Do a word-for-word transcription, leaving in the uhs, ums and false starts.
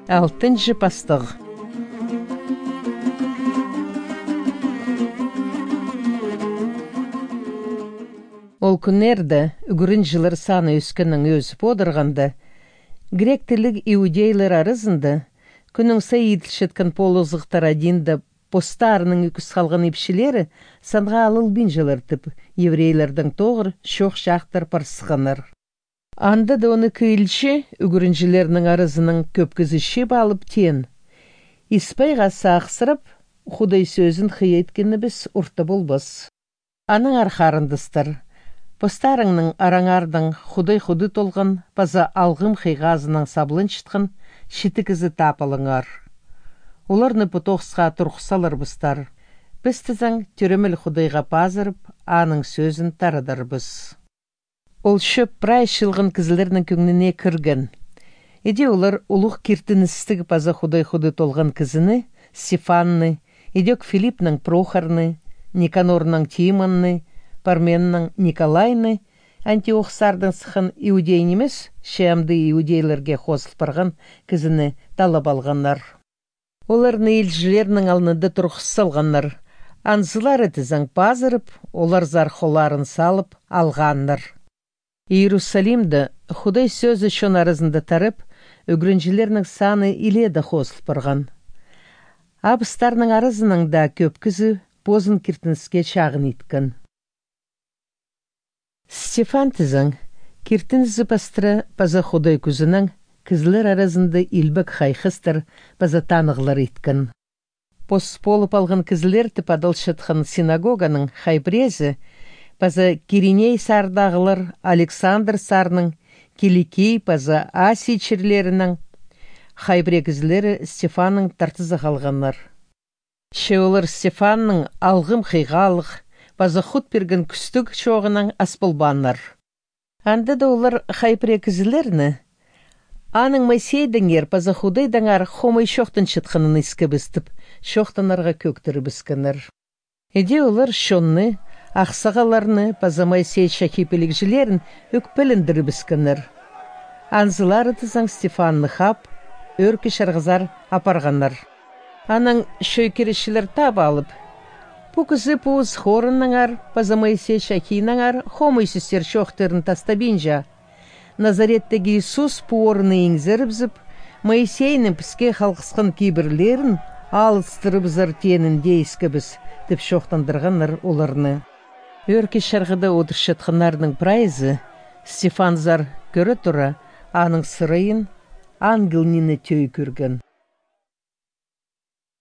Алтынҷы пастығ. Ол кӱннерде ӱгренҷілер саны ӧскеннең ӧзіп одырғанда, грек тілліг иудейлер аразында кӱннің сай иділчеткен полызығлар адинда постарының ӧкіс халған ипчілері санға алылбинчалар тіп, еврейлердең тоғыр чоох-чаахтар парысханнар. Анда даа он ікі илчі ӱгренҷілернің аразынаң кӧп кізі чыып алып, теен: «Испайға сағыссырап, Худай сӧзін хыйа иткенібіс орта полбас. Аннаңар, харындастар, постарыңның араңардаң Худай худы толған паза алғым хыйғазынаң сабланчатхан читі кізі таап алыңар. Оларны пу тоғысха турғыс саларбыстар. Піс тізең тӧреміл Худайға пазырып, аның сӧзін тарадарбыс». Ол чӧп прай чылған кізілернің кӧңніне кірген. Іди олар улуғ киртіністіг паза Худай худы толған кізіні, Стефанны, идӧк Филиппнең Прохорны, Никанорнаң Тимонны, Парменнаң Николайны, антиохсардаң сыххан иудей нимес, че амды иудейлерге хозыл парған кізіні талап алғаннар. Оларны илчілернің алнында турғыс салғаннар. Анзылары тізең пазырып, оларзар холларын салып алғаннар. Иерусалимде Худай сӧзі чон аразында тарап, ӱгренҷілернің саны илееде хозыл парған. Абыстарның аразынаң даа кӧп кізі позын киртініске чағын иткен. Стефан тізең, киртінізі пастыра паза Худай кӱзінең кізілер аразында илбек хайхастар паза танығлар иткен. Пос полып алған кізілер тіп адалчатхан синагоганың хай піреезі паза Кириней саардағылар Александр сарның, Киликий паза Асий чирлерінең хай пірее кізілері Стефанның тартызы халғаннар. Че олар Стефанның алғым хыйғалығ паза хут пирген кӱстіг чооғынаң ас полбааннар. Анда даа олар хай пірее кізілерні: «Аның Моисейдеңер паза Худайдаңар хомай чоохтанчатханын искебіс», — тіп, чоохтанарға кӧӧктірібіскеннер. Іди олар чонны, ахсағалларны паза Моисей чахи пілігҷілерін ӧкпелендірібіскеннер. Анзылары тізең Стефанны хап, ӧӧркі чарғызар апарғаннар. Анаң чой киречілер таап алып: «Пу кізі пос хорыннаңар паза Моисей чахинаңар хомай сӧстер чоохтарын тастабинча, Назареттегі Иисус пу орынны иңзерібізіп, Моисейнің піске халғысхан кибірлерін алыстырыбызар теенін дее искебіс», — тіп чоохтандырғаннар оларны. Ӧӧркі чарғыда одырчатханнарның прайзы Стефанзар кӧре тура, аның сырайын ангел ниме тӧӧй кӧрген.